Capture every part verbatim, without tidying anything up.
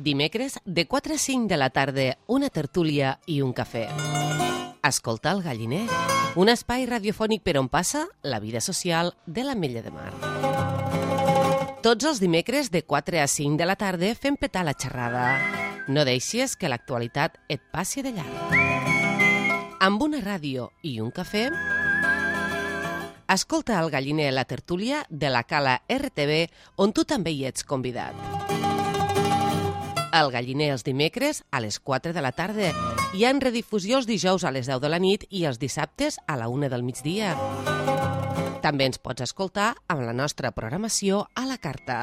Dimecres, de quatre a cinc de la tarda, una tertúlia i un cafè. Escolta el Galliner, un espai radiofònic per on passa la vida social de l'Ametlla de Mar. Tots els dimecres, de quatre a cinc de la tarda, fem petar la xerrada. No deixis que l'actualitat et passi de llarg. Amb una ràdio i un cafè, escolta el Galliner, la tertúlia de la Cala R T V, on tu també hi ets convidat. El Galliner els dimecres a les quatre de la tarda. Hi ha redifusió els dijous a les deu de la nit i els dissabtes a la una del migdia. També ens pots escoltar amb la nostra programació a la carta.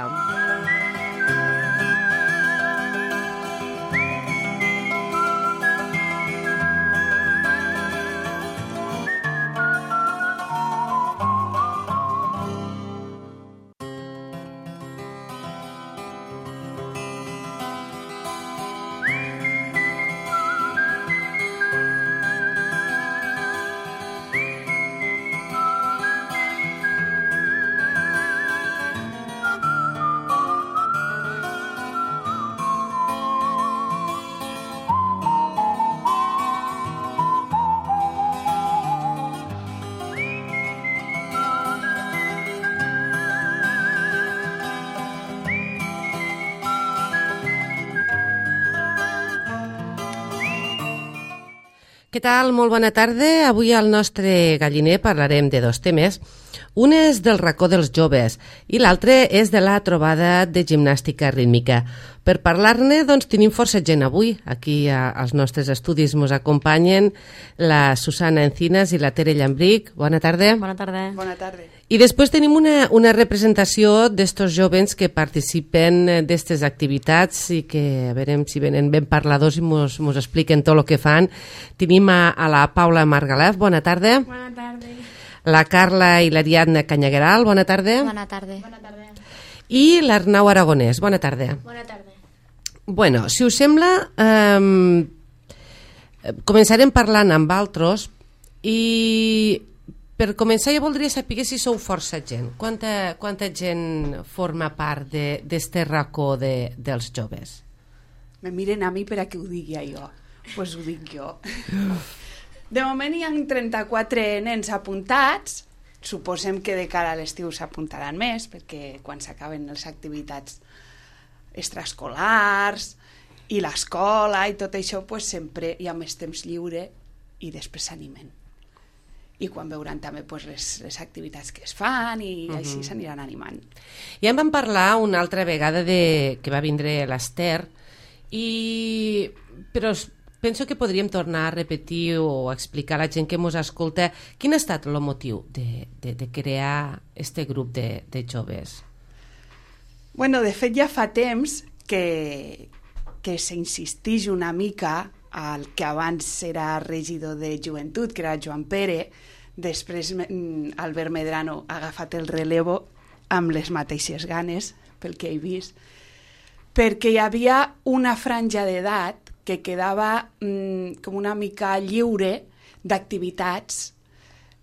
Què tal? Molt bona tarda. Avui al nostre Galliner parlarem de dos temes. Un és del racó dels joves i l'altre és de la trobada de gimnàstica rítmica. Per parlar-ne, doncs, tenim força gent avui. Aquí als nostres estudis ens acompanyen la Susana Encinas i la Tere Llambric. Bona tarda. Bona tarda. Bona tarda. I després tenim una, una representació d'estos jovens que participen d'estes activitats i que a veurem si venen ben parladors i mos, mos expliquen tot el que fan. Tenim a, a la Paula Margalef, bona tarda. Bona tarda. La Carla i l'Ariadna Canyagueral, bona tarda. Bona tarda. Bona tarda. I l'Arnau Aragonès, bona tarda. Bona tarda. Bueno, si us sembla, eh, començarem parlant amb altres i per començar jo voldria saber si sou força gent. Quanta, quanta gent forma part d'este racó de, dels joves? Me miren a mi per a que ho digui jo. Doncs pues ho dic jo. De moment hi ha trenta-quatre nens apuntats. Suposem que de cara a l'estiu s'apuntaran més, perquè quan s'acaben les activitats extraescolars i l'escola i tot això, pues sempre hi ha més temps lliure i després s'animen. I quan veuran també pues, les, les activitats que es fan i uh-huh. així s'aniran animant. Ja en vam parlar una altra vegada de, que va vindre l'Ester, i... però penso que podríem tornar a repetir o explicar a la gent que ens escolta quin ha estat el motiu de, de, de crear este grup de, de joves. Bueno, de fet ja fa temps que, que s'insistix una mica al que abans era regidor de joventut, que era Joan Pere. Després Albert Medrano ha agafat el relevo amb les mateixes ganes, pel que he vist, perquè hi havia una franja d'edat que quedava mm, com una mica lliure d'activitats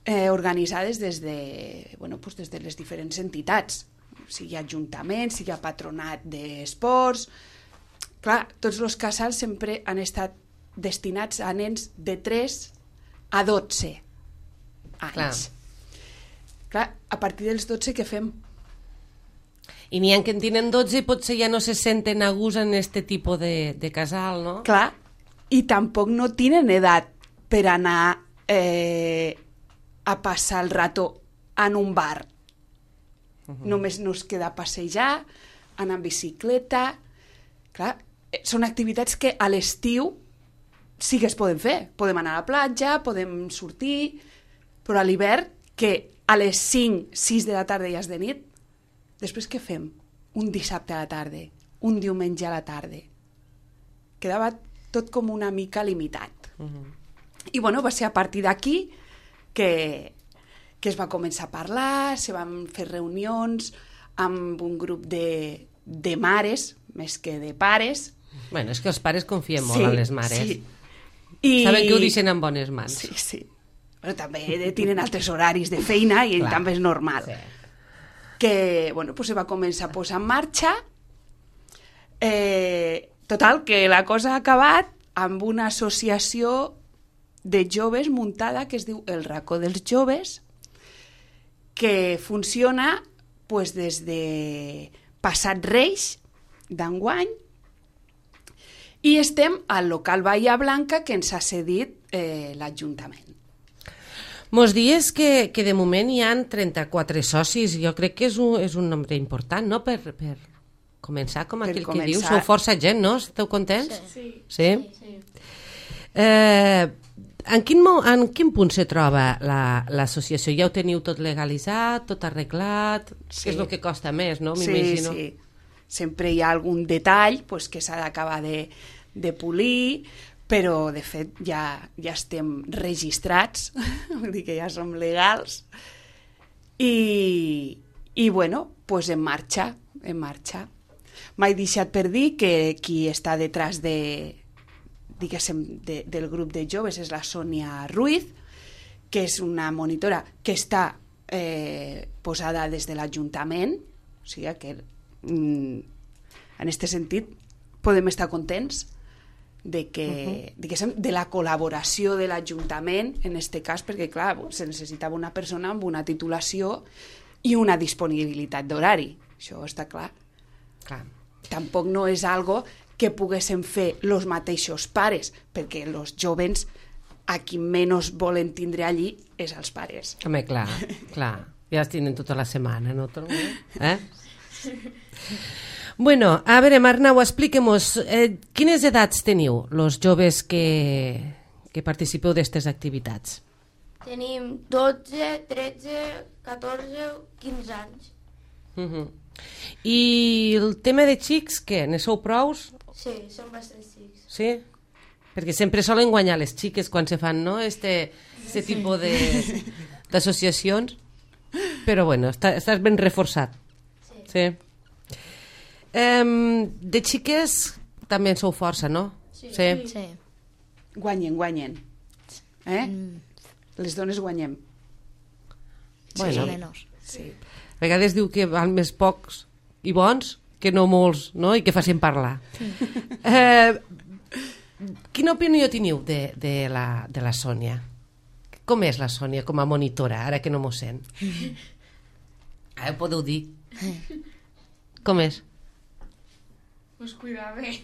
eh, organitzades des de, bueno, pues des de les diferents entitats, sigui ajuntaments, sigui patronat d'esports. Clar, tots els casals sempre han estat destinats a nens de tres a dotze anys. Clar, Clar a partir dels dotze què fem? I n'hi ha que en tenen dotze i potser ja no se senten a gust en este tipus de, de casal, no? Clar, i tampoc no tenen edat per anar eh, a passar el rato en un bar. Uh-huh. Només nos queda passejar, anar en bicicleta. Clar, són activitats que a l'estiu sí que es poden fer. Podem anar a la platja, podem sortir, però a l'hivern, que a les cinc, sis de la tarda ja és de nit, després què fem? Un dissabte a la tarda, un diumenge a la tarda. Quedava tot com una mica limitat. Uh-huh. I bueno, va ser a partir d'aquí que... que es va començar a parlar, se van fer reunions amb un grup de, de mares, més que de pares. Bueno, és que els pares confien molt sí, en les mares. Sí. I... Saben que ho deixen en bones mans. Sí, sí. Però també tenen altres horaris de feina i Clar. També és normal. Sí. Que, bueno, pues se va començar a posar en marxa. Eh, total, que la cosa ha acabat amb una associació de joves muntada que es diu El Racó dels Joves, que funciona pues, des de passat Reis d'enguany, i estem al local Bahia Blanca que ens ha cedit eh, l'Ajuntament. Mos dies que, que de moment hi ha trenta-quatre socis. Jo crec que és un, és un nombre important, no?, per, per començar, com aquell que diu. Sou força gent, no? Esteu contents? Sí. Sí? Sí. Eh, en, quin, en quin punt se troba l'associació? La, ja ho teniu tot legalitzat, tot arreglat? Sí. És el que costa més, no? Sí, sí. Sempre hi ha algun detall pues, que s'ha d'acabar de, de polir, però de fet ja, ja estem registrats, vull dir que ja som legals, i, i bueno, pues en marxa, en marxa. M'he deixat per dir que qui està detrás de, diguéssim, de, del grup de joves és la Sònia Ruiz, que és una monitora que està eh, posada des de l'Ajuntament, o sigui que en aquest sentit podem estar contents de que, uh-huh. diguéssim, de la col·laboració de l'Ajuntament en aquest cas, perquè clar, se necessitava una persona amb una titulació i una disponibilitat d'horari, això està clar. Clar. Tampoc no és algo que poguéssim fer els mateixos pares, perquè els jovens a qui menys volen tindre allí és els pares. Home, clar, clar, ja es tenen tota la setmana, no? Eh? Bueno, a veure, Arnau, expliquem-nos, eh, quines edats teniu, els joves que, que participeu d'aquestes activitats? Tenim dotze, tretze, catorze, quinze anys. Uh-huh. I el tema de xics, què? Ne sou prous? Sí, som bastants xics. Sí? Perquè sempre solen guanyar les xiques quan se fan, no?, este, este sí. tipus d'associacions. Però bueno, està, estàs ben reforçat. Sí. Sí. Um, de xiques també en sou força, no? Sí. Sí. Sí. Guanyen, guanyen. Eh? Mm. Les dones guanyem. Bueno, sí. sí. A vegades diu que van més pocs i bons que no molts, no? I que facin parlar. Sí. Eh, quina opinió teniu de, de, la, de la Sònia? Com és la Sònia com a monitora, ara que no m'ho sent? Ara ho podeu dir. Com és? Pues cuida bé.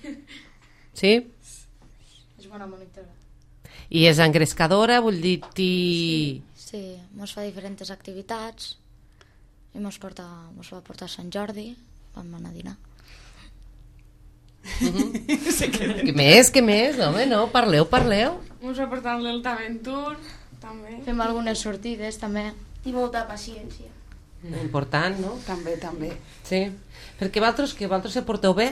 Sí? És bona monitora. I és engrescadora, vull dir... Ti... Sí, sí, mos fa diferents activitats i mos, porta, mos va portar a Sant Jordi, vam anar a dinar. Uh-huh. Sí que... Què més, què més? Home, no, parleu, parleu. Mos va portar l'Altaventur, també. Fem algunes sortides, també. I molta paciència. Important, no? També, també. Sí. Perquè vosaltres, que vosaltres se porteu bé?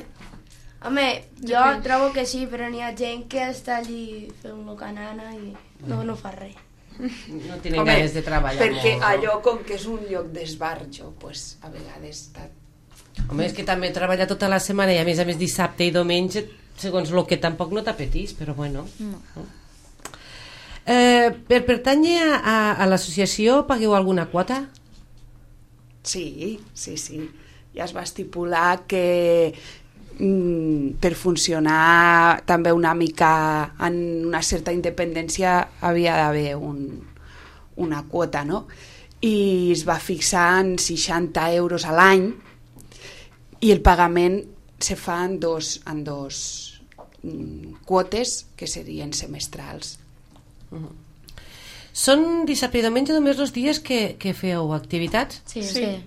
Home, jo trobo que sí, però n'hi ha gent que està allí fent-lo canana i no, no fa res. No tenen Home, ganes de treballar perquè molt. Perquè allò, com que és un lloc d'esbarjo, pues, a vegades està... Home, és que també treballa tota la setmana i a més a més dissabte i diumenge, segons el que tampoc no t'apetís, però bueno. No. Eh, per pertànyer a, a, a l'associació pagueu alguna quota? Sí, sí, sí. Ja es va estipular que mm, per funcionar també una mica en una certa independència havia d'haver un, una quota, no? I es va fixar en seixanta euros a l'any i el pagament se fa en dos, en dos mm, quotes que serien semestrals. Uh-huh. Són dissabte i diumenge només els dies que, que feu activitats? Sí, sí. sí.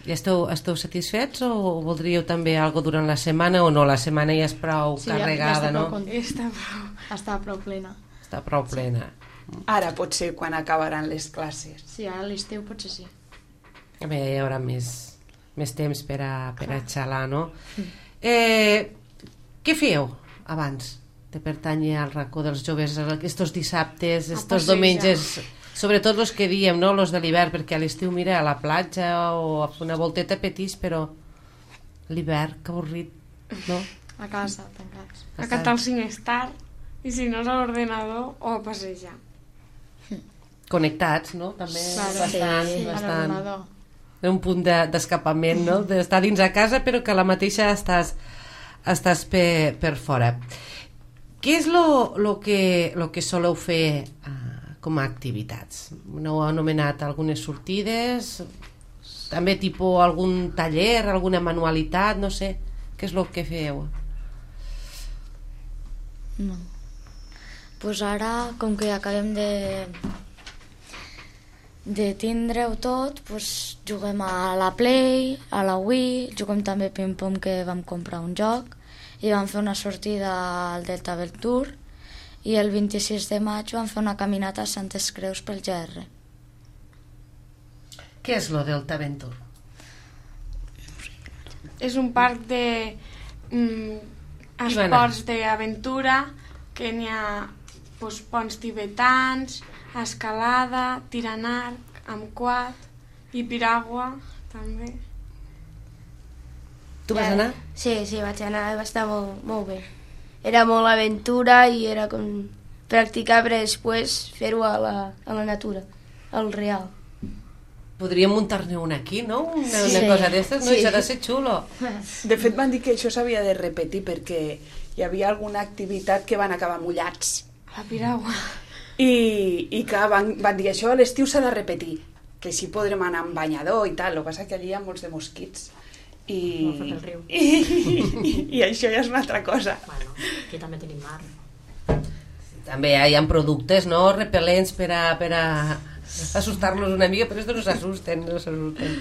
I esteu, esteu satisfets o voldríeu també algo durant la setmana o no? La setmana ja és prou sí, carregada, ja, ja no? Està prou, està prou plena. Està prou plena. Ara pot ser quan acabaran les classes. Sí, ara a l'estiu potser sí. A veure, hi haurà més, més temps per a, per a xalar, no? Eh, què fèieu abans de pertànyer al racó dels joves aquests dissabtes, aquests diumenges, sobretot els que diem, no? Els de l'hivern, perquè a l'estiu mira a la platja o a fer una volteta petís, però l'hivern, que avorrit, no? A casa, tancats. A catar el Sinestar i si no és a l'ordenador o a passejar. Connectats, no? També claro, bastant, sí, bastant. Un punt d'escapament, no? D'estar dins a casa però que a la mateixa estàs estàs per, per fora. Què és lo, lo, que, lo que soleu fer uh, com a activitats? No heu anomenat algunes sortides, també tipus algun taller, alguna manualitat, no sé, què és lo que feu? No. Pues ara, com que acabem de de tindre-ho tot, pues juguem a la Play, a la Wii, juguem també ping-pong, que vam comprar un joc, i vam fer una sortida al Delta Venture, i el vint-i-sis de maig vam fer una caminata a Santes Creus pel G R. Què és lo Delta Venture? És un parc de mm, esports d'aventura, que n'hi ha pues, ponts tibetans, escalada, tir en arc, amb quad i piragua, també. Tu vas anar? Sí, sí, vaig anar, va estar molt, molt bé. Era molt aventura i era com practicar per després fer-ho a, la, a la natura, al real. Podríem muntar-ne una aquí, no? Una, Sí. una cosa d'estes, no? Sí. Això ha de ser xulo. De fet, van dir que això s'havia de repetir perquè hi havia alguna activitat que van acabar mullats. La piragua. I, i clar, van, van dir això a l'estiu s'ha de repetir, que així podrem anar amb banyador i tal. El que passa que allí hi ha molts de mosquits. I, No, fet el riu. i, i, i això ja és una altra cosa. Bueno, aquí també tenim mar. També hi ha productes, no?, repel·lents per a, per a assustar-los una mica, però estos no s'assusten, no s'assusten.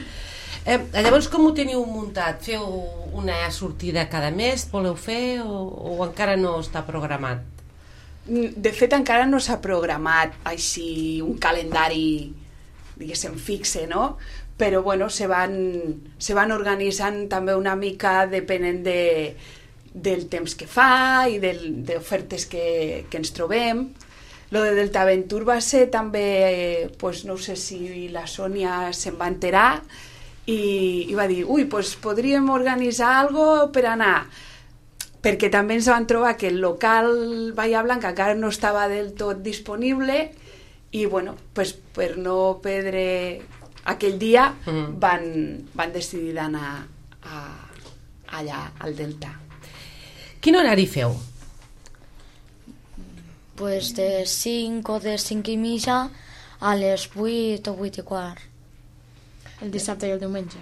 Eh, llavors, com ho teniu muntat? Feu una sortida cada mes, voleu fer, o, o encara no està programat? De fet, encara no s'ha programat així un calendari, diguéssim, fixe, no? Però, bueno, se van, se van organitzant també una mica depenent de, del temps que fa i del, d'ofertes que, que ens trobem. Lo de Delta Venture va ser també, eh, pues, no sé si la Sònia se'n va enterar i, i va dir, ui, pues podríem organitzar algo per anar, perquè també ens van trobar que el local Bahia Blanca encara no estava del tot disponible i, bueno, pues, per no perdre aquell dia Mhm. van, van decidir d'anar a, allà al Delta. Quin horari feu? Pues de cinc o de cinc i mitja a les vuit o vuit i quart. El dissabte i el diumenge.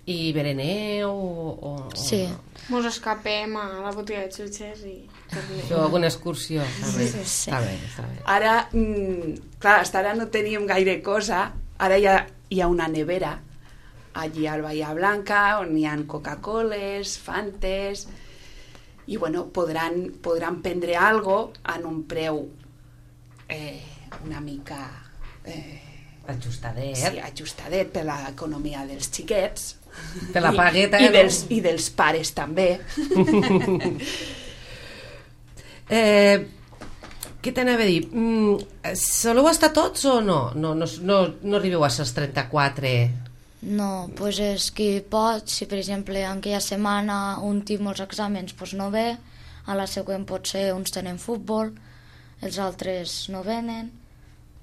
I bereneu o... o Sí. Mos escapem a la botiga de xutxes i tornem. Feu alguna excursió? Està bé, Sí, sí. està bé, està bé. Ara, mm, clar, hasta ara no teníem gaire cosa, ara hi ha, hi ha una nevera allí al Bahia Blanca on hi ha Coca-Coles, Fantes i bueno, podran, podran prendre algo en un preu eh, una mica eh, Ajustadet. sí, ajustadet per l'economia dels xiquets Per la pagueta, i, i, no? dels, i dels pares també. eh, què t'anava a dir? Mm, soleu estar tots o no? No, no, no, no arribeu a ser els trenta-quatre? No, pues és qui pot, si per exemple en aquella setmana un té molts exàmens, pues no ve, a la següent potser uns tenen futbol, els altres no venen,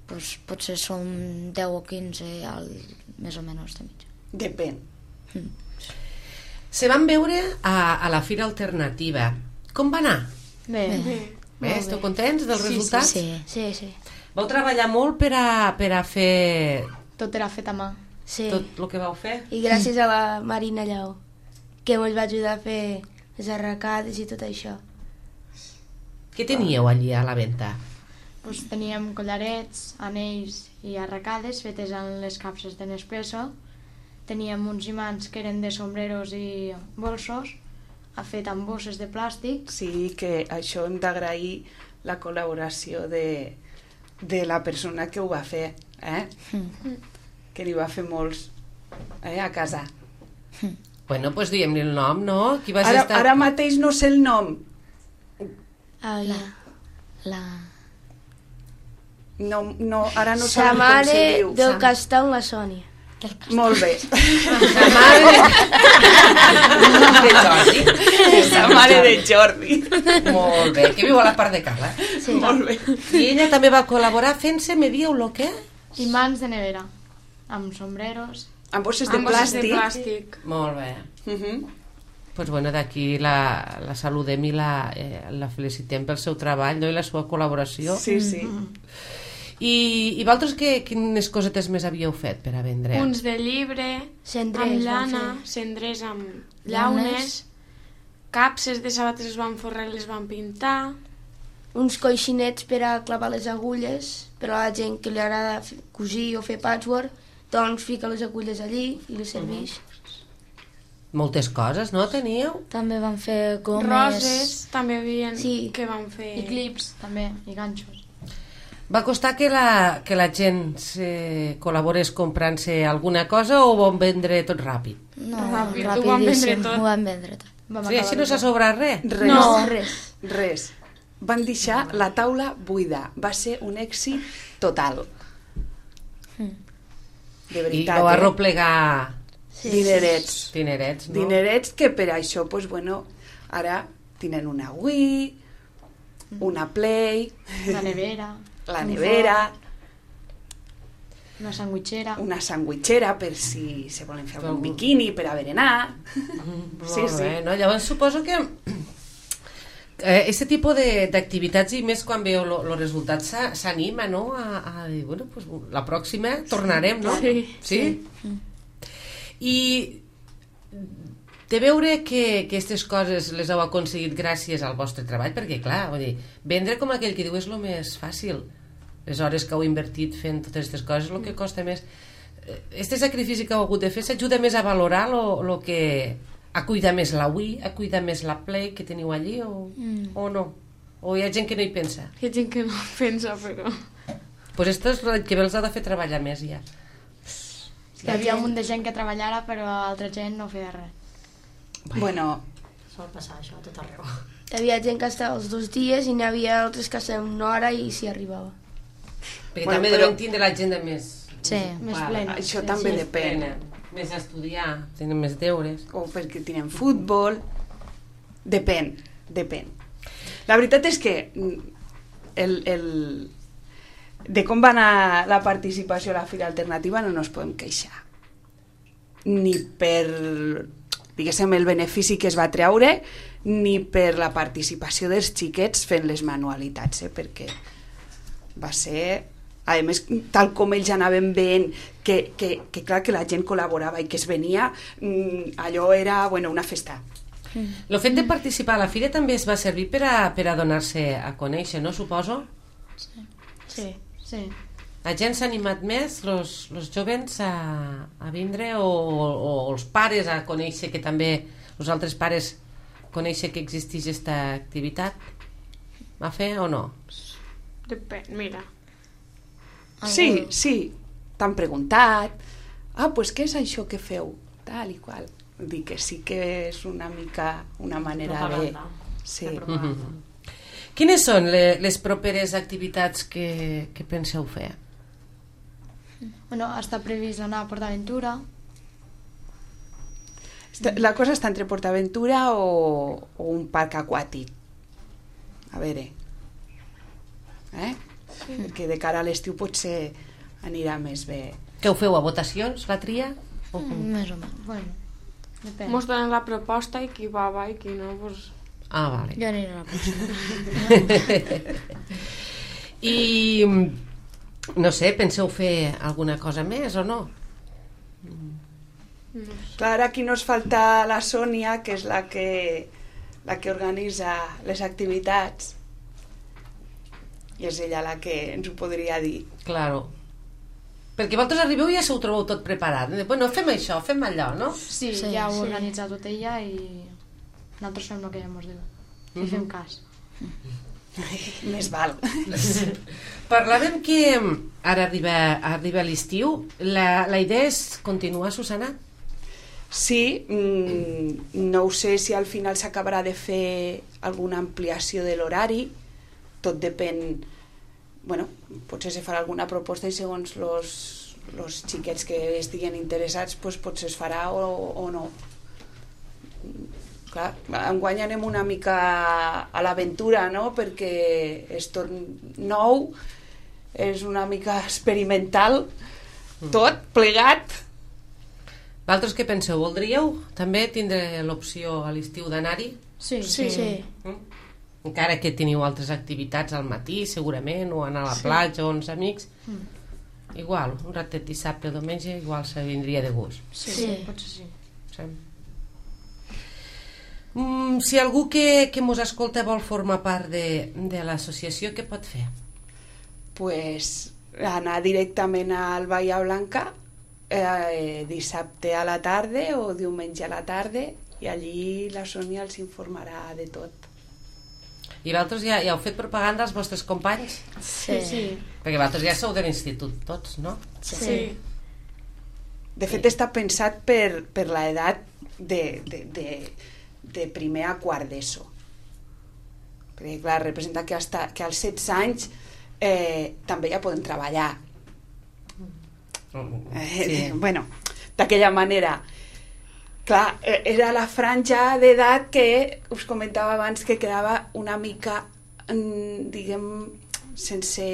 pues potser som deu o quinze al, més o menys de mitja. Depèn. Se van veure a, a la Fira Alternativa. Com va anar? Bé, Bé. Bé, esteu contents dels resultats? Sí. Sí, sí. Vau treballar molt per a, per a fer tot era fet a mà. Sí. tot el que vau fer? I gràcies a la Marina Lleó, que ens va ajudar a fer les arracades i tot això. Què teníeu allí a la venda? Pues teníem collarets, anells i arracades fetes en les capses de Nespresso. Teníem uns imants que eren de sombreros i bolsos, fet amb bosses de plàstic. Sí, que això hem d'agrair la col·laboració de, de la persona que ho va fer, eh? Mm. Que n'hi va fer molts eh, a casa. Bueno, doncs pues diguem-li el nom, no? Qui vas Ara, estar... ara mateix no sé el nom. Ah, ja. La... No, no, ara no Sa sabem com se mare diu. del Sa- Castell, la Sònia. Molt bé. La mare de Jordi. La mare de Jordi. Molt bé, que viu a la part de Cala. Sí. Molt bé. I ella també va col·laborar fent-se, me dieu lo que? Imants de nevera, amb sombreros. Amb bosses de Amb bosses de plàstic. plàstic. Molt bé. Uh -huh. pues bueno, d'aquí la, la saludem i la, eh, la felicitem pel seu treball, no? I la seva col·laboració. Sí, sí. I, i vosaltres que, quines cosetes més havíeu fet per a vendre? Uns de llibre, Cendrers amb vam llana, fer. cendrers amb Llaunes. llaunes, capses de sabates les van forrar i les van pintar, Uns coixinets per a clavar les agulles, per a la gent que li agrada f- cosir o fer patchwork, doncs fica les agulles allí i les serveix. Moltes coses, no, teníeu? També van fer gomes. roses, també havien Sí. que van fer... I clips, també, i ganxos. Va costar que la, que la gent se col·laborés comprant-se alguna cosa o ho van vendre tot ràpid? No, Ràpid, ho rapidíssim. van vendre tot. Ho van vendre tot. Vam Sí, acabar així no de s'ha tot. sobrat res? Res. No, res. Res. Van deixar la taula buida. Va ser un èxit total. De I veritat, ho va eh? replegar Dinerets. dinerets, no? Dinerets que per això, pues, bueno, ara tenen una Wii, una Play, La nevera, la un nevera, forn, una sandwichera. una sandwichera per si se volen fer algun Algú. biquini per a berenar. Sí, Molt sí. bé, no? Llavors suposo que eh, aquest tipus de- d'activitats i més quan veu els resultats s'a- s'anima, no? A, a dir, bueno, pues, la pròxima tornarem, no? Sí. Sí? I de veure que aquestes coses les heu aconseguit gràcies al vostre treball, perquè clar, vull dir, vendre com aquell que diu és el més fàcil. Les hores que heu invertit fent totes aquestes coses, el que costa més. Este sacrifici que heu hagut de fer s'ajuda més a valorar lo, lo que... a cuidar més la Wii, a cuidar més la Play que teniu allí o, mm. o no? O hi ha gent que no hi pensa? Hi ha gent que no pensa, però... Pues esto és el que els ha de fer treballar més ja. Hi havia un munt de gent que treballara, però altra gent no feia res. Bueno, Sol passar això a tot arreu. Hi havia gent que estava els dos dies i n'hi havia altres que estaven una hora i s'hi arribava. Perquè Bueno, també però- deuen tindre l'agenda més... Sí. Més Vale. plena. això sí, també sí. depèn. plena, més a estudiar, tenen més deures. O perquè tenen futbol. Depèn, depèn. La veritat és que mm, el, el, de com va anar la participació a la Fira Alternativa no ens podem queixar. Ni per, diguéssim, el benefici que es va treure, ni per la participació dels xiquets fent les manualitats, eh? Perquè va ser... A més, tal com ells anaven veient que, que, que clar que la gent col·laborava i que es venia, mm, allò era, bueno, una festa. El fet de participar a la fira també es va servir per a, per a donar-se a conèixer, no? Suposo? Sí, sí. La gent s'ha animat més, els jovens, a, a vindre o, o els pares a conèixer que també, els altres pares conèixer que existeix aquesta activitat? A fer o no? Depèn, mira. Sí, sí, t'han preguntat, ah, pues què és això que feu? Tal i qual. Vull dir que sí que és una mica una manera Propaganda. de... Sí. De propaganda. Quines són le, les properes activitats que, que penseu fer? Bueno, està previst anar a PortAventura. Està- La cosa està entre PortAventura o, o un parc aquàtic. A veure. Eh? Sí. Perquè de cara a l'estiu potser anirà més bé. Què ho feu, a votacions, la tria? O com? Més o menys. Bueno, depèn. Mos donen la proposta i qui va, va i qui no, doncs... Ah, vale. Jo aniré a la pròxima. I, no sé, penseu fer alguna cosa més o no? Clar, aquí nos falta la Sònia, que és la que, la que organitza les activitats. I és ella la que ens ho podria dir. Claro. Perquè vosaltres arribeu i ja s'ho trobeu tot preparat. Bueno, fem això, fem allò, no? Sí, Sí, ja ho sí. ha organitzat tot ella i nosaltres fem el que ella ens diu. I fem cas. Més val. Parlàvem que ara arriba, arriba l'estiu. La, la idea és continuar, Susana? Sí, mmm, no ho sé si al final s'acabarà de fer alguna ampliació de l'horari. Tot depèn... Bueno, potser se farà alguna proposta i segons los, los xiquets que estiguen interessats pues, potser es farà o, o no. Clar, enguany anem una mica a l'aventura, no? Perquè és tot nou, és una mica experimental, tot plegat. Vosaltres què penseu? Voldríeu també tindre l'opció a l'estiu d'anar-hi? Sí, Sí, sí. Mm? Encara que teniu altres activitats al matí, segurament, o anar a la platja o amb els amics. Igual, un ratet dissabte o diumenge, igual se vindria de gust. Sí, Sí. potser sí. Sí. Mm, si algú que, que mos escolta vol formar part de, de l'associació, què pot fer? Pues anar directament al Bahia Blanca eh, dissabte a la tarda o diumenge a la tarda i allí la Sònia els informarà de tot. I vosaltres ja, ja heu fet propaganda als vostres companys? Sí. Sí. Perquè vosaltres ja sou de l'institut tots, no? Sí. De fet està pensat per, per l'edat de, de, de, de primer a quart d'ESO. Perquè clar, representa que, hasta, que als setze anys eh, també ja poden treballar. Eh, Sí. Bueno, d'aquella manera. Clar, eh, era la franja d'edat que us comentava abans que quedava una mica, mm, diguem, sense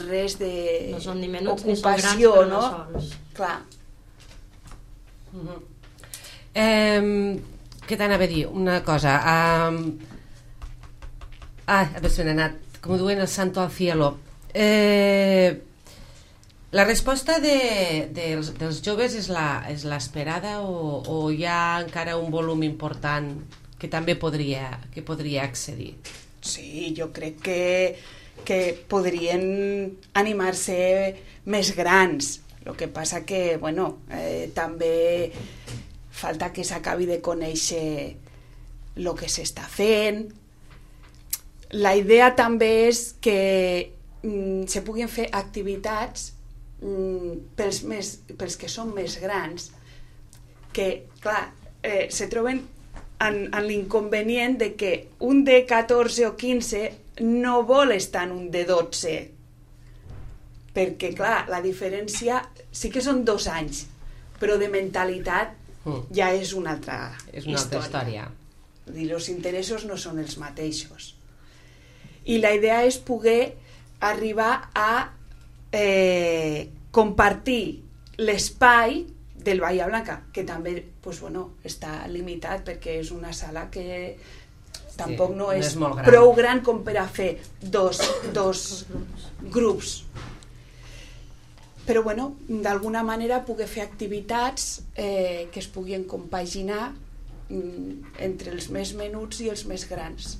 res de No són ni menuts ni són grans, ocupació, però no? no sols. Clar. Uh-huh. Eh, què t'anava a dir? Una cosa. Um, ah, a veure si m'he anat. Com diuen el santo al cielo. Eh, la resposta de, de, dels, dels joves és la, és l'esperada o, o hi ha encara un volum important que també podria, que podria accedir? Sí, jo crec que, que podrien animar-se més grans. El que passa que, bueno, eh, també falta que s'acabi de conèixer el que s'està fent. La idea també és que mm, se puguin fer activitats mm, pels, més, pels que són més grans, que, clar, eh, se troben en, en l'inconvenient de que un de catorze o quinze no vol estar en un de dotze, perquè, clar, la diferència sí que són dos anys, però de mentalitat Mm. ja és una altra És una altra història. Vull dir, els interessos no són els mateixos. I la idea és poder arribar a eh, compartir l'espai del Bahia Blanca, que també pues, bueno, està limitat perquè és una sala que tampoc no no és, és molt gran. prou gran com per a fer dos, dos grups. Però bueno, d'alguna manera poder fer activitats eh, que es puguin compaginar mm, entre els més menuts i els més grans.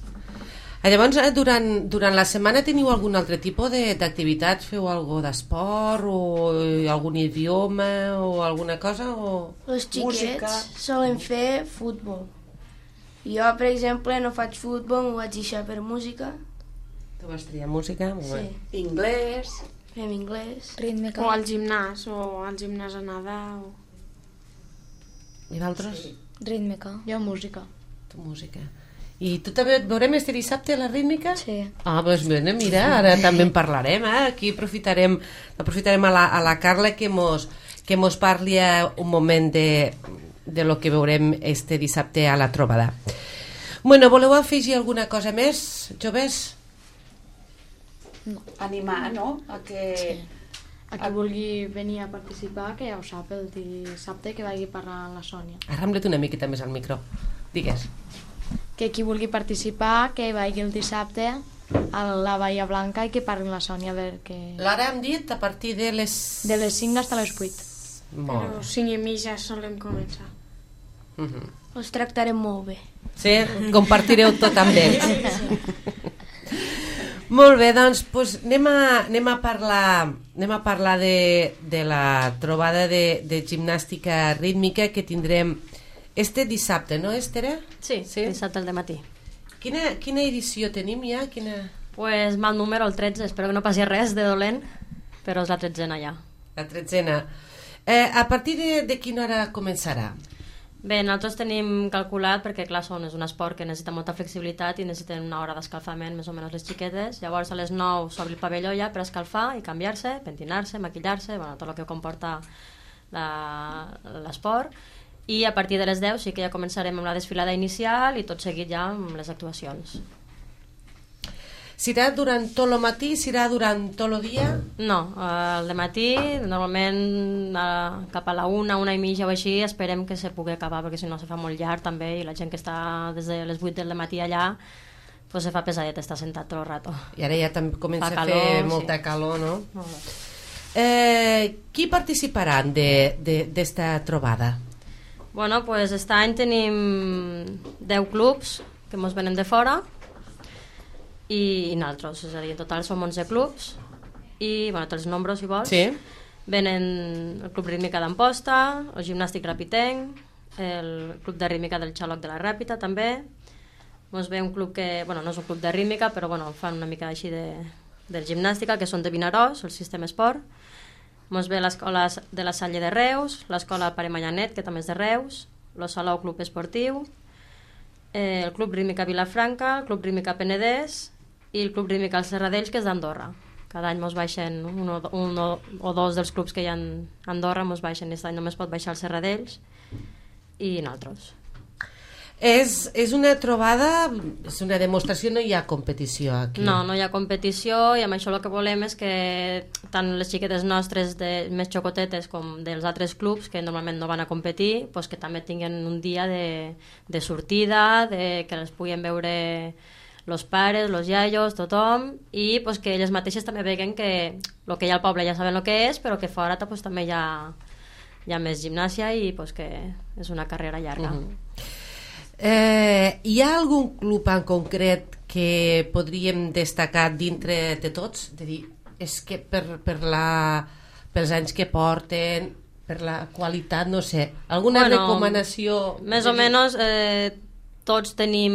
Ah, llavors, eh, durant, durant la setmana teniu algun altre tipus de- d'activitats? Feu algo d'esport o eh, algun idioma o alguna cosa? O... Els xiquets Música. solen fer futbol. Jo, per exemple, no faig futbol, m'ho vaig deixar per música. Tu vas triar música? Molt bé. Sí, Inglès, fem anglès. Rítmica. O al gimnàs, o al gimnàs a nedar. O... I d'altres? Sí. Rítmica. Jo música. Tu música. I tu també et veurem este dissabte a la rítmica? Sí. Ah, doncs mira, mira, ara també en parlarem, eh? Aquí aprofitarem, aprofitarem a la, a la Carla que mos, que mos parli un moment de, de lo que veurem este dissabte a la trobada. Bueno, voleu afegir alguna cosa més, joves? animar, no? A que... Sí. A qui vulgui venir a participar, que ja ho sap, el dissabte que vagi parlar amb la Sònia. Arrambla't una miqueta més al micro. Digues. Que qui vulgui participar, que vagi el dissabte a la Bahia Blanca i que parli amb la Sònia, a veure que... L'hora hem dit a partir de les... De les cinc fins a les vuit. Molt Però bé. cinc i mitja solem començar. Mhm. Els tractarem molt bé. Sí? Compartireu tot amb ells. Molt bé, doncs, doncs anem, a, anem a parlar, anem a parlar de, de la trobada de, de gimnàstica rítmica que tindrem este dissabte, no, Esther? Sí, Sí? sí, dissabte al dematí. Quina, quina edició tenim ja? Quina... Pues mal número, el tretze, espero que no passi res de dolent, però és la tretzena ja. La tretzena. Eh, a partir de, de quina hora començarà? Bé, nosaltres tenim calculat, perquè clar, són, és un esport que necessita molta flexibilitat i necessiten una hora d'escalfament, més o menys les xiquetes. Llavors a les nou s'obre el pavelló ja per escalfar i canviar-se, pentinar-se, maquillar-se, bueno, tot el que comporta la- l'esport. I a partir de les deu sí que ja començarem amb la desfilada inicial i tot seguit ja amb les actuacions. Serà durant tot el matí? Serà durant tot el dia? No, el matí, normalment eh, cap a la una, una i mitja o així, esperem que se pugui acabar, perquè si no se fa molt llarg també, i la gent que està des de les vuit del matí allà, pues se fa pesadet estar sentat tot el rato. I ara ja també comença calor, a fer molta sí. calor, no? Molt bé. Eh, qui participaran d'esta trobada? Bueno, pues aquest any tenim deu clubs que ens venen de fora i, i nosaltres, és a dir, en total som onze clubs i, bueno, te'ls nombro si vols. Sí. Venen el Club Rítmica d'Amposta, el Gimnàstic Rapitenc, el Club de Rítmica del Xaloc de la Ràpita també. Ens ve un club que, bueno, no és un club de rítmica, però bueno, fan una mica així de, de gimnàstica, que són de Vinaròs, el Sistema Esport. Ens ve l'escola de la Salle de Reus, l'escola Pare Manyanet, que també és de Reus, el Salou Club Esportiu, eh, el Club Rítmica Vilafranca, el Club Rítmica Penedès i el Club Rítmica Els Serradells, que és d'Andorra. Cada any ens baixen un, o, un o, o dos dels clubs que hi ha a Andorra, ens baixen, aquest any només pot baixar els Serradells i nosaltres. És, és una trobada, és una demostració, no hi ha competició aquí. No, no hi ha competició i amb això el que volem és que tant les xiquetes nostres de, més xocotetes com dels altres clubs que normalment no van a competir, pues que també tinguin un dia de, de sortida, de, que les puguin veure los pares, los iaios, tothom, i pues, que elles mateixes també veguen que el que hi ha al poble ja saben el que és, però que fora pues, també hi ha, hi ha més gimnàsia i pues, que és una carrera llarga. Uh-huh. Eh, hi ha algun club en concret que podríem destacar dintre de tots? De dir, és que per, per la, pels anys que porten, per la qualitat, no sé, alguna bueno, recomanació? Més o menys eh, tots tenim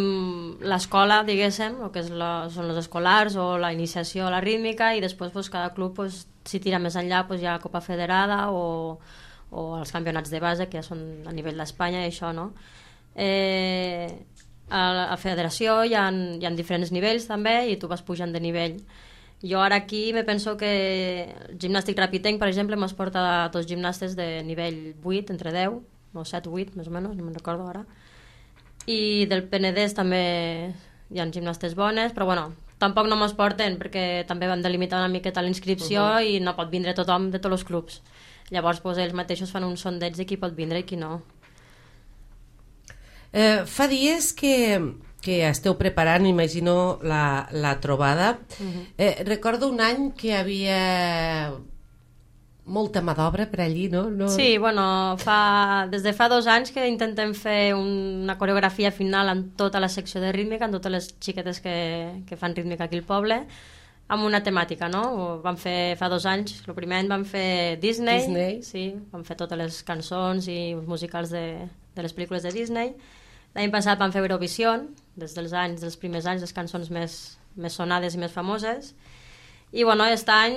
l'escola, diguéssim, el que és la, són els escolars o la iniciació a la rítmica, i després pues, cada club pues, si tira més enllà pues, hi ha Copa Federada o, o els campionats de base, que ja són a nivell d'Espanya i això, no? Eh, a la federació hi ha, hi ha diferents nivells també i tu vas pujant de nivell. Jo ara aquí me penso que el gimnàstic rapitenc, per exemple, m'es porta a dos gimnastes de nivell vuit, entre deu o set o vuit, més o menys, no me'n recordo ara, i del Penedès també hi ha gimnastes bones, però bueno, tampoc no mos porten perquè també vam delimitar una miqueta la inscripció uh-huh. i no pot vindre tothom de tots els clubs, llavors pues, ells mateixos fan un sondeig de qui pot vindre i qui no. Eh, fa dies que, que esteu preparant, imagino, la, la trobada. Uh-huh. Eh, recordo un any que hi havia molta mà d'obra per allí, no? no? Sí, bueno, fa, des de fa dos anys que intentem fer una coreografia final en tota la secció de rítmica, en totes les xiquetes que, que fan rítmica aquí al poble, amb una temàtica, no? Vam fer fa dos anys, el primer any vam fer Disney, Disney. Sí, vam fer totes les cançons i musicals de, de les pel·lícules de Disney. L'any passat vam fer Eurovisió, des dels anys, dels primers anys, les cançons més, més sonades i més famoses. I bueno, aquest any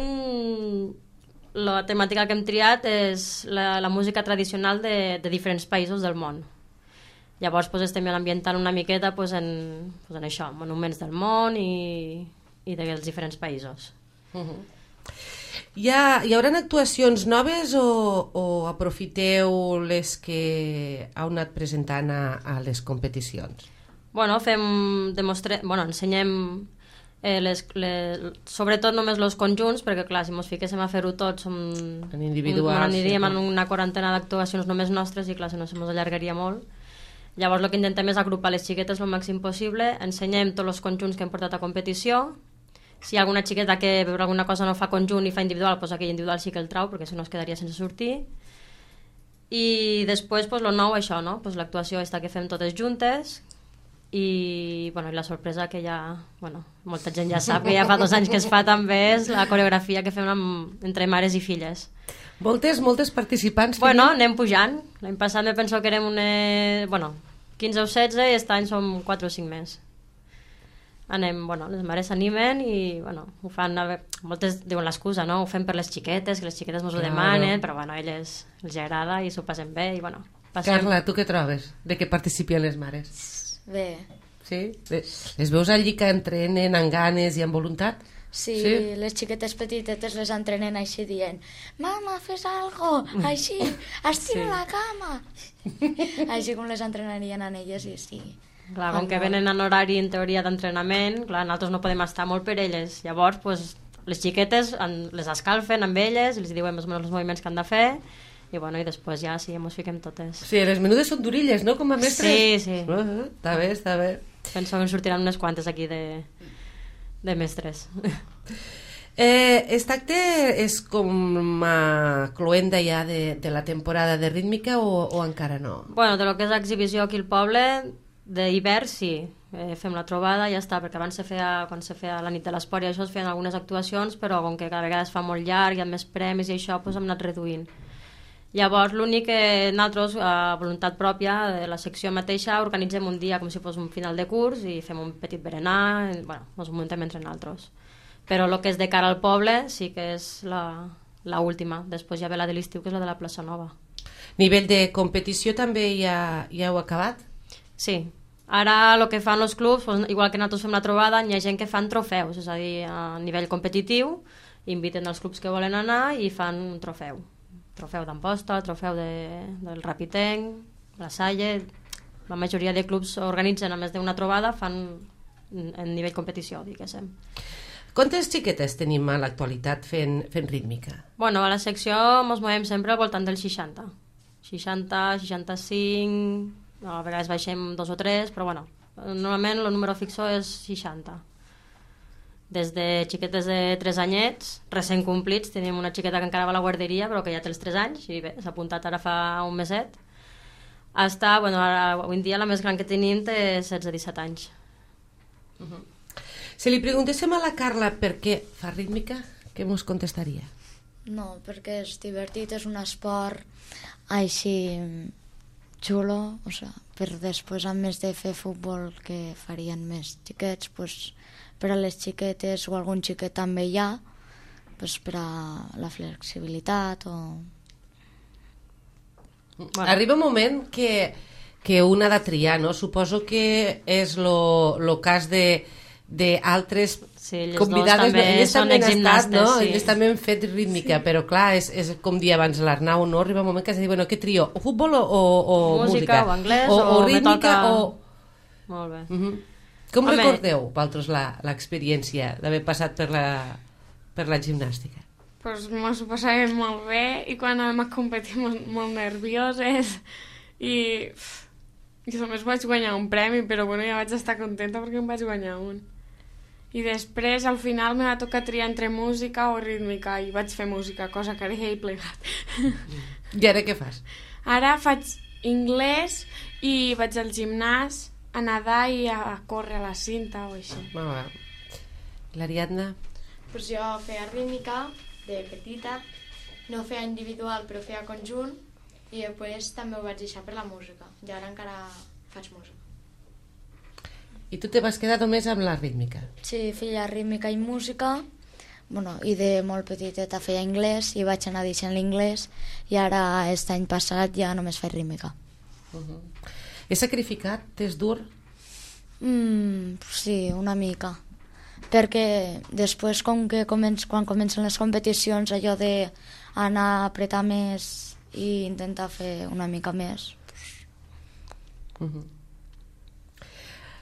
la temàtica que hem triat és la, la música tradicional de, de diferents països del món. Llavors pues, estem ambientant una miqueta pues, en, pues, en això, monuments del món i, i dels diferents països. Uh-huh. Hi, ha, hi haurà actuacions noves o, o aprofiteu les que heu anat presentant a, a les competicions? Bueno, fem, demostre... bueno, ensenyem eh, les, les, sobretot només els conjunts, perquè clar, si ens fiquéssim a fer-ho tots som, en individuals, un, aniríem sí. en una quarantena d'actuacions només nostres i clar, si no se ens allargaria molt. Llavors el que intentem és agrupar les xiquetes el màxim possible, ensenyem tots els conjunts que hem portat a competició. Si hi ha alguna xiqueta que per alguna cosa no fa conjunt i fa individual, doncs aquell individual sí que el trau, perquè si no es quedaria sense sortir. I després, doncs, el nou, això, no? Pues l'actuació està que fem totes juntes i, bueno, i la sorpresa que ja, bueno, molta gent ja sap que ja fa dos anys que es fa també és la coreografia que fem amb, entre mares i filles. Moltes, moltes participants. Bueno, anem pujant. L'any passat me penso que érem una, bueno, quinze o setze i aquest any som quatre o cinc més. Anem, bueno, les mares s'animen i, bueno, ho fan, moltes diuen l'excusa, no? Ho fem per les xiquetes, que les xiquetes ens ho claro. demanen, però, bueno, a elles els agrada i s'ho passen bé i, bueno, passem. Carla, tu què trobes de que participin les mares? Bé. Sí? Les veus allí que entrenen amb ganes i amb voluntat? Sí, sí, les xiquetes petitetes les entrenen així dient «Mama, fes algo!» Així, «Estira sí. la cama!» Així com les entrenarien a elles i sí. Clar, com que venen en horari, en teoria, d'entrenament, clar, nosaltres no podem estar molt per elles. Llavors, pues, les xiquetes en, les escalfen amb elles, els diuen més o menys els moviments que han de fer, i, bueno, i després ja sí, ens fiquem totes. Sí, les menudes són durilles, no?, com a mestres? Sí, sí. Uh -huh. Està bé, està bé. Penso que en sortiran unes quantes aquí de, de mestres. Eh, aquest acte és com a cloenda ja de, de la temporada de rítmica o, o encara no? Bueno, de lo que és exhibició aquí al poble, d'hivern sí, eh, fem la trobada i ja està, perquè abans se feia, quan se feia la nit de l'esport i això es feien algunes actuacions, però com que cada vegada es fa molt llarg, hi ha més premis i això, doncs hem anat reduint. Llavors l'únic que nosaltres, a voluntat pròpia de la secció mateixa, organitzem un dia com si fos un final de curs i fem un petit berenar, i, bueno, ens muntem entre nosaltres. Però el que és de cara al poble sí que és la, la última. Després ja ve la de l'estiu, que és la de la plaça Nova. Nivell de competició també ja, ja heu acabat? Sí. Ara el que fan els clubs, doncs, igual que nosaltres fem la trobada, hi ha gent que fan trofeus, és a dir, a nivell competitiu, inviten els clubs que volen anar i fan un trofeu. Trofeu d'Amposta, trofeu de, del Rapitenc, la Salle. La majoria de clubs organitzen, a més d'una trobada, fan en nivell competició, diguéssim. Quantes xiquetes tenim a l'actualitat fent, fent rítmica? Bueno, a la secció ens movem sempre al voltant del seixanta. seixanta, seixanta-cinc, a vegades baixem dos o tres, però bueno, normalment el número fixo és seixanta. Des de xiquetes de tres anyets, recent complits, tenim una xiqueta que encara va a la guarderia, però que ja té els tres anys, i bé, s'ha apuntat ara fa un meset. Està, bueno, ara, avui en dia la més gran que tenim té setze disset anys. Uh-huh. Si li preguntéssim a la Carla per què fa rítmica, què mos contestaria? No, perquè és divertit, és un esport així xulo, o sea, per després, a més de fer futbol que farien més xiquets, pues, per a les xiquetes o algun xiquet també hi ha, pues, per a la flexibilitat o... Bueno. Arriba un moment que, que un ha de triar, no? Suposo que és el cas de d'altres sí, convidades, també elles també han estat, no? Sí. Elles també han fet rítmica, sí. Però clar, és, és com dir abans l'Arnau, no? Arriba un moment que has de dir, bueno, què trio? O futbol o, o, o música? Música, o anglès, o, o, o rítmica, toca... o... Molt bé. Uh -huh. Com Home. recordeu, vosaltres, l'experiència d'haver passat per la, per la gimnàstica? Pues mos ho passàvem molt bé i quan vam a competir molt, molt nervioses i... i només vaig guanyar un premi, però bueno, ja vaig estar contenta perquè em vaig guanyar un. I després, al final, me va tocar triar entre música o rítmica i vaig fer música, cosa que ara ja he plegat. I ara què fas? Ara faig anglès i vaig al gimnàs a nedar i a córrer a la cinta o així. Ah, l'Ariadna? Pues jo feia rítmica de petita, no feia individual però feia conjunt i després també ho vaig deixar per la música i ara encara faig música. I tu te vas quedar només amb la rítmica? Sí, feia rítmica i música, bueno, i de molt petiteta feia anglès i vaig anar deixant l'inglès i ara, aquest any passat, ja només faig rítmica. Uh-huh. És sacrificat? És dur? Mm, sí, una mica. Perquè després, com que començ, quan comencen les competicions, allò d'anar a apretar més i intentar fer una mica més. Uh-huh.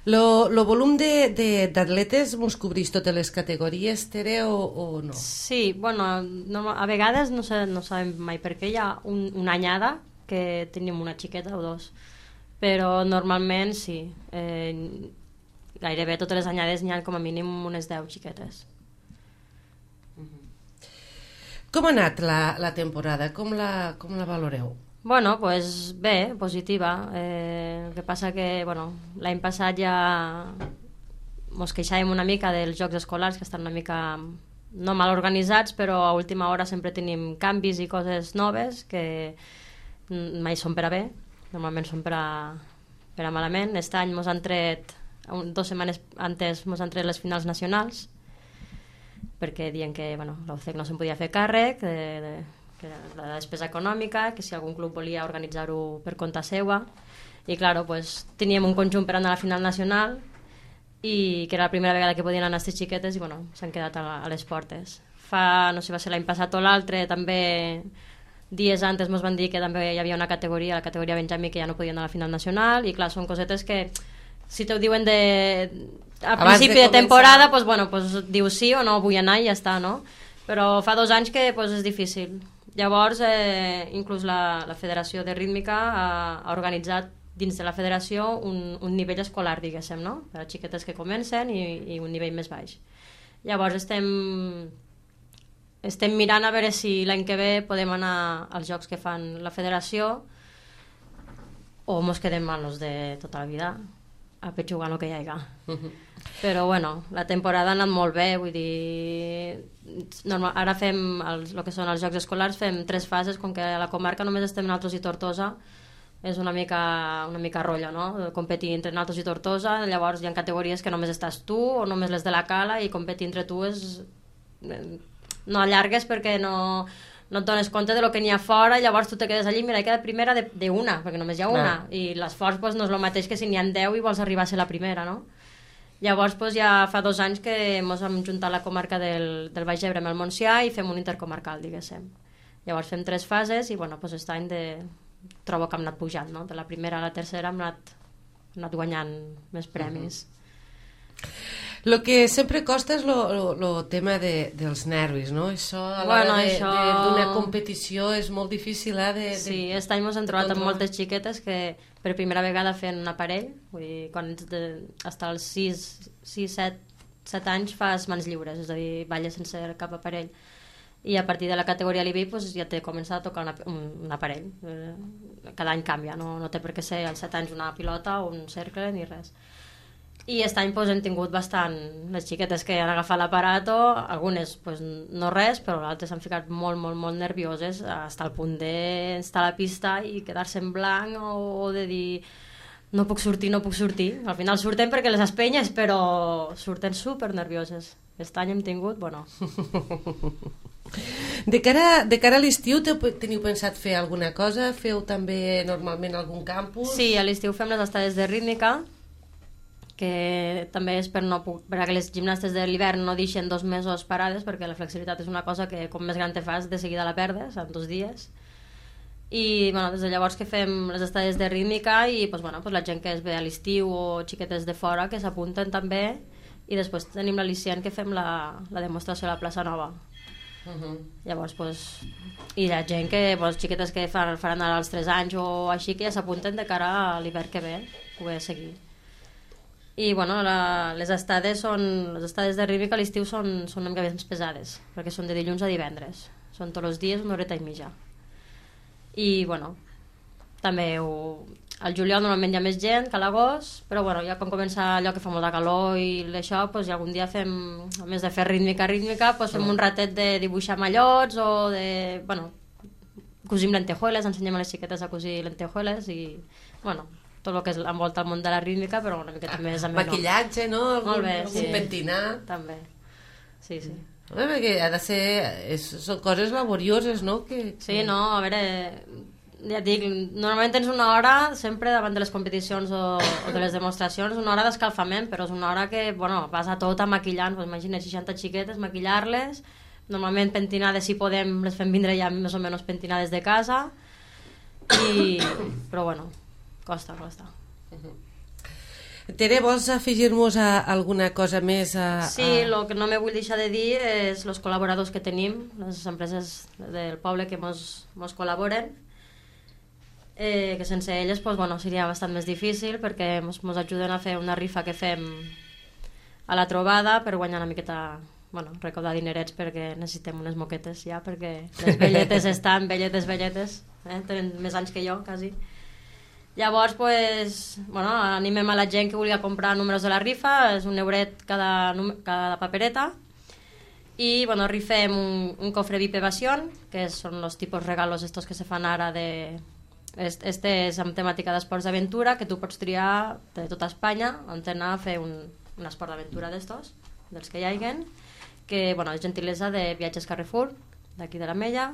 Lo, lo volum d'atletes mos cobrís totes les categories, Tere, o, o no? Sí, bueno, no, a vegades no, sé, no sabem mai per què hi ha un, una anyada que tenim una xiqueta o dos, però normalment sí, eh, gairebé totes les anyades n'hi ha com a mínim unes deu xiquetes. Com ha anat la, la temporada? Com la, com la valoreu? Bueno, pues bé, positiva. Eh, el que passa que, bueno, l'any passat ja mos queixàvem una mica dels jocs escolars, que estan una mica no mal organitzats, però a última hora sempre tenim canvis i coses noves que mai són per a bé, normalment són per a, per a malament. Aquest any mos han tret, dues setmanes antes mos han tret les finals nacionals, perquè diuen que bueno, la U C E C no se'n podia fer càrrec de, de, que la despesa econòmica, que si algun club volia organitzar-ho per compte seva, i clar, pues, teníem un conjunt per anar a la final nacional i que era la primera vegada que podien anar aquestes xiquetes i bueno, s'han quedat a, a les portes. Fa, no sé, va ser l'any passat o l'altre, també dies antes ens van dir que també hi havia una categoria, la categoria Benjamí, que ja no podien anar a la final nacional, i clar, són cosetes que si te ho diuen de... a Abans principi de de, de temporada, començar. pues, bueno, pues, dius sí o no vull anar i ja està, no? Però fa dos anys que pues, és difícil. Llavors, eh, inclús la, la Federació de Rítmica ha, ha organitzat dins de la federació un, un nivell escolar, diguéssim, no? Per a xiquetes que comencen i, i un nivell més baix. Llavors estem, estem mirant a veure si l'any que ve podem anar als jocs que fan la federació o mos quedem amb els de tota la vida a petxugar el que hi hagi. Uh-huh. Però bueno, la temporada ha anat molt bé, vull dir, normal, ara fem els, el que són els jocs escolars, fem tres fases, com que a la comarca només estem nosaltres i Tortosa, és una mica, una mica rotllo, no? Competir entre nosaltres i Tortosa, llavors hi ha categories que només estàs tu o només les de la Cala, i competir entre tu és... no allargues perquè no, no et dones compte de lo que n'hi ha fora, llavors tu te quedes allí, mira, he quedat primera d'una, perquè només hi ha una, ah. i l'esforç pues, no és el mateix que si n'hi ha deu i vols arribar a ser la primera, no? Llavors pues, ja fa dos anys que ens vam juntar la comarca del, del Baix Ebre amb el Montsià i fem un intercomarcal, diguéssim. Llavors fem tres fases i bueno, pues, aquest any de... trobo que hem anat pujant, no? De la primera a la tercera hem anat, hem anat guanyant més premis. Uh-huh. Lo que sempre costa és el tema de, dels nervis, no? Això a l'hora bueno, de, això... d'una competició és molt difícil, eh? De, de... Sí, aquest any ens hem trobat amb moltes xiquetes que per primera vegada fent un aparell, vull dir, quan ets de, fins als sis, set anys fas mans lliures, és a dir, balles sense cap aparell. I a partir de la categoria L I B I pues, ja té començat a tocar una, un, un aparell. Cada any canvia, no, no té per què ser als set anys una pilota o un cercle ni res. I aquest any pues, hem tingut bastant les xiquetes que han agafat l'aparato, algunes pues, no res, però les altres s'han ficat molt, molt, molt nervioses fins al punt d'estar a la pista i quedar-se en blanc o, o de dir no puc sortir, no puc sortir. Al final surten perquè les espenyes, però surten super nervioses. Aquest any hem tingut, bueno... De cara, de cara a l'estiu teniu pensat fer alguna cosa? Feu també normalment algun campus? Sí, a l'estiu fem les estades de rítmica, que també és per no perquè les gimnastes de l'hivern no deixen dos mesos parades, perquè la flexibilitat és una cosa que com més gran te fas de seguida la perdes en dos dies. I bueno, des de llavors que fem les estades de rítmica i pues, bueno, pues, la gent que es ve a l'estiu o xiquetes de fora que s'apunten també, i després tenim l'al·licient que fem la, la demostració a la plaça Nova. Uh-huh. Llavors pues, i la gent que pues, xiquetes que fan, faran ara els tres anys o així que ja s'apunten de cara a l'hivern que ve poder seguir. I bueno, la, les estades són les estades de rítmica a l'estiu són, són una mica més pesades perquè són de dilluns a divendres, són tots els dies una horeta i mitja. I bueno, també ho, al juliol normalment hi ha més gent que a l'agost, però bueno, ja quan comença allò que fa molta calor i això, pues, ja algun dia fem, a més de fer rítmica rítmica, pues, fem un ratet de dibuixar mallots o de, bueno, cosim lentejueles, ensenyem a les xiquetes a cosir lentejueles i, bueno, tot el que és envolta el món de la rítmica, però una miqueta més ameno. Maquillatge, no? Algun, molt bé, algun sí. pentinat. També, sí, sí. Home, perquè ha de ser... És, són coses laborioses, no? Que, que... Sí, no, a veure... Ja et dic, normalment tens una hora sempre davant de les competicions o, o de les demostracions, una hora d'escalfament, però és una hora que, bueno, vas a tota maquillant, pues, imagina seixanta xiquetes, maquillar-les, normalment pentinades, si podem, les fem vindre ja més o menys pentinades de casa, i... però bueno, costa, costa. Uh-huh. Tere, vols afegir-nos a alguna cosa més? A, a... Sí, el que no me vull deixar de dir és els col·laboradors que tenim, les empreses del poble que mos, mos col·laboren, eh, que sense elles pues, bueno, seria bastant més difícil perquè mos, mos ajuden a fer una rifa que fem a la trobada per guanyar una miqueta, bueno, recaudar dinerets perquè necessitem unes moquetes ja, perquè les velletes estan velletes, velletes, eh? Tenen més anys que jo, quasi. Llavors, pues, bueno, animem a la gent que vulgui comprar números de la rifa, és un euret cada, cada papereta, i bueno, rifem un, un cofre V I P Evasión, que són els tipus regalos estos que se fan ara de... Este és amb temàtica d'esports d'aventura, que tu pots triar de tota Espanya on anar a fer un, un esport d'aventura d'estos, dels que hi haiguen, que bueno, és gentilesa de Viatges Carrefour, d'aquí de la Mella.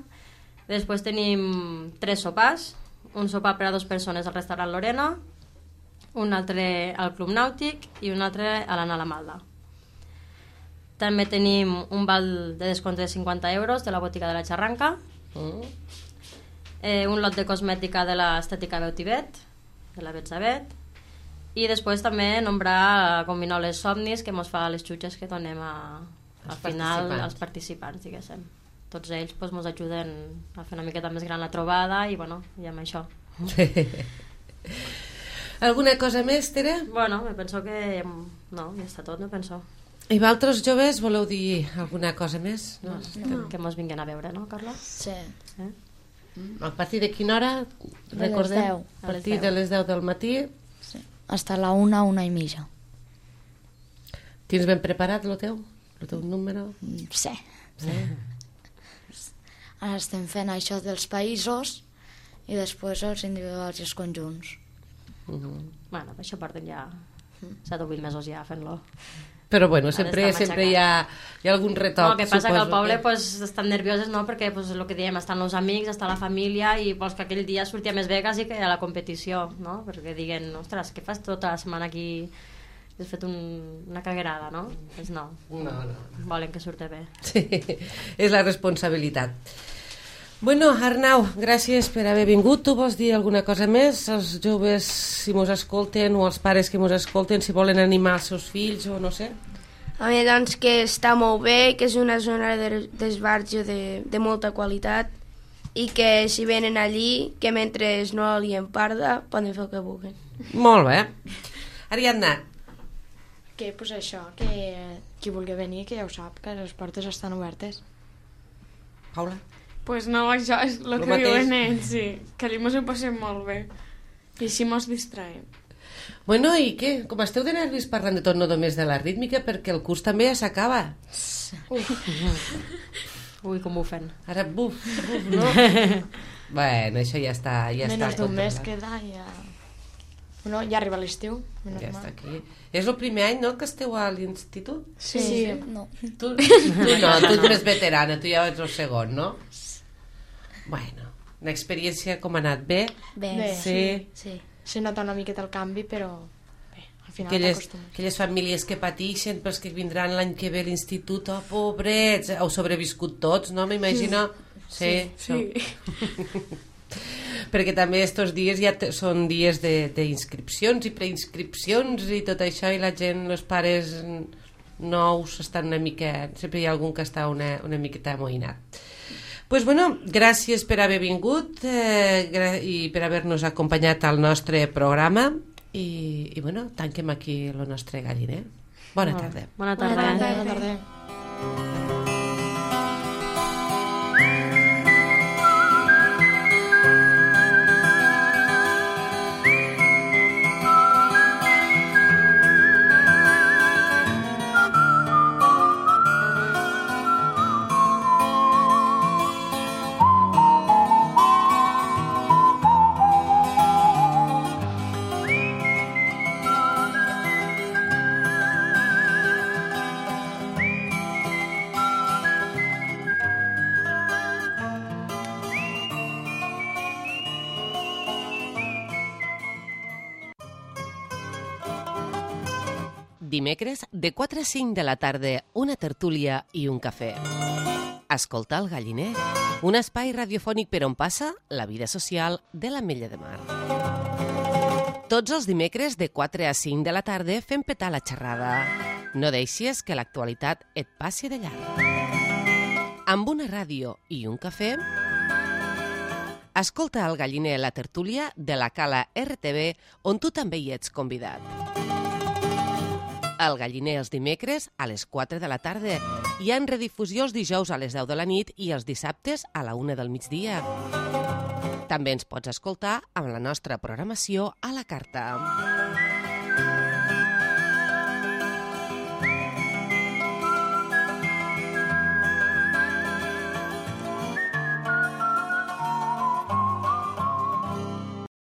Després tenim tres sopars, un sopar per a dues persones al restaurant Lorena, un altre al Club Nàutic i un altre a l'Anna la Malda. També tenim un val de descompte de cinquanta euros de la botiga de la Xarranca, mm. eh, un lot de cosmètica de l'Estètica Beutibet, de la Betzabet, I després també nombrar com Vinoles Somnis, que mos fa les xutxes que donem a, al Els final participants. als participants, diguéssim. Tots ells doncs, mos ajuden a fer una miqueta més gran la trobada i, bueno, i amb això. Alguna cosa més, Tere? Bueno, me penso que... No, ja està tot, me penso. I vosaltres, joves, voleu dir alguna cosa més? No? No. Que mos vinguin a veure, no, Carla? Sí. Eh? A partir de quina hora? De les Recordem? deu. A partir de les deu del matí. Sí. Hasta la una, una i mitja. Tens ben preparat el teu? El teu número? Sí. Sí. Ara estem fent això dels països i després els individuals i els conjunts. Uh -huh. Bueno, això porten ja set o vuit mesos ja fent-lo. Però bueno, sempre, sempre hi ha, hi ha algun retoc. No, el que passa suposo, que al poble que... pues, estan nervioses, no? Perquè pues, el que diem, estan els amics, està la família i vols que aquell dia surti a més bé quasi que a la competició, no? Perquè diguen, ostres, què fas tota la setmana aquí? Has fet un, una caguerada, no? Pues no. No, no. Volen que surti bé. Sí, és la responsabilitat. Bueno, Arnau, gràcies per haver vingut. Tu vols dir alguna cosa més? Els joves, si mos escolten, o els pares que mos escolten, si volen animar els seus fills o no sé? A mi, doncs, que està molt bé, que és una zona d'esbarjo de, de molta qualitat i que si venen allí, que mentre no li parda, poden fer el que vulguin. Molt bé. Ariadna. Que, pues això, que qui vulgui venir, que ja ho sap, que les portes estan obertes. Paula. Pues no, això és el Lo que mateix. diuen ells, sí. Que allí mos ho passem molt bé. I així mos distraem. Bueno, i què? Com esteu de nervis parlant de tot, no només de la rítmica, perquè el curs també ja s'acaba. Ui, com ho fem. Ara, buf, buf, no? Bueno, això ja està, ja Menys està d'un mes controlat. queda i ja... No, ja arriba l'estiu. Ja està aquí. És el primer any, no?, que esteu a l'institut? Sí, Sí, sí. no. Tu, tu no, tu ets més veterana, tu ja ets el segon, no? Bueno, l'experiència com ha anat? Bé? Bé, Bé. Sí. sí. Se nota una miqueta el canvi, però bé, al final Aquelles, t'acostumes. aquelles famílies que pateixen pels que vindran l'any que ve a l'institut, oh, pobrets, heu sobreviscut tots, no? M'imagino. Sí, sí. Sí. Perquè també estos dies ja te, són dies d'inscripcions i preinscripcions i tot això, i la gent, els pares nous estan una mica... Sempre hi ha algun que està una, una miqueta amoïnat. Pues bueno, gràcies per haver vingut eh, i per haver-nos acompanyat al nostre programa i, i bueno, tanquem aquí el nostre galliner. Bona tarda. Bona tarda. Bona tarda. Bona tarda. Dimecres, de quatre a cinc de la tarda, una tertúlia i un cafè. Escolta el galliner, un espai radiofònic per on passa la vida social de l'Ametlla de Mar. Tots els dimecres, de quatre a cinc de la tarda, fem petar la xerrada. No deixis que l'actualitat et passi de llarg. Amb una ràdio i un cafè, escolta el galliner, la tertúlia de la Cala R T V, on tu també hi ets convidat. El galliner els dimecres a les quatre de la tarda. Hi ha en redifusió els dijous a les deu de la nit i els dissabtes a la una del migdia. També ens pots escoltar amb la nostra programació a la carta.